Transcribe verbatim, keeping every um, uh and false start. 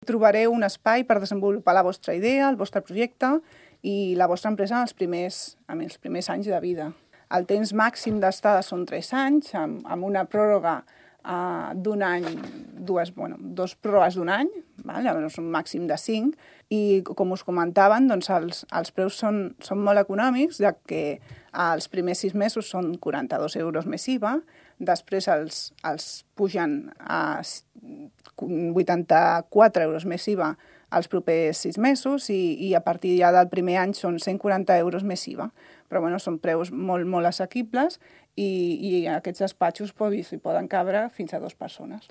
Trobareu un espai per desenvolupar la vostra idea, el vostre projecte i la vostra empresa en els primers, en els primers anys de vida. El temps màxim d'estada són tres anys, amb, amb una pròrroga uh, d'un any, dues, bueno, dos pròrrogues d'un any, val? Llavors un màxim de cinc, i com us comentaven, doncs els, els preus són, són molt econòmics, ja que els primers sis mesos són quaranta-dos euros més I V A, després els, els pugen a vuitanta-quatre euros més I V A els propers sis mesos i, i a partir ja del primer any són cent quaranta euros més I V A. Però bueno, són preus molt, molt assequibles i, i aquests despatxos s'hi poden cabre fins a dues persones.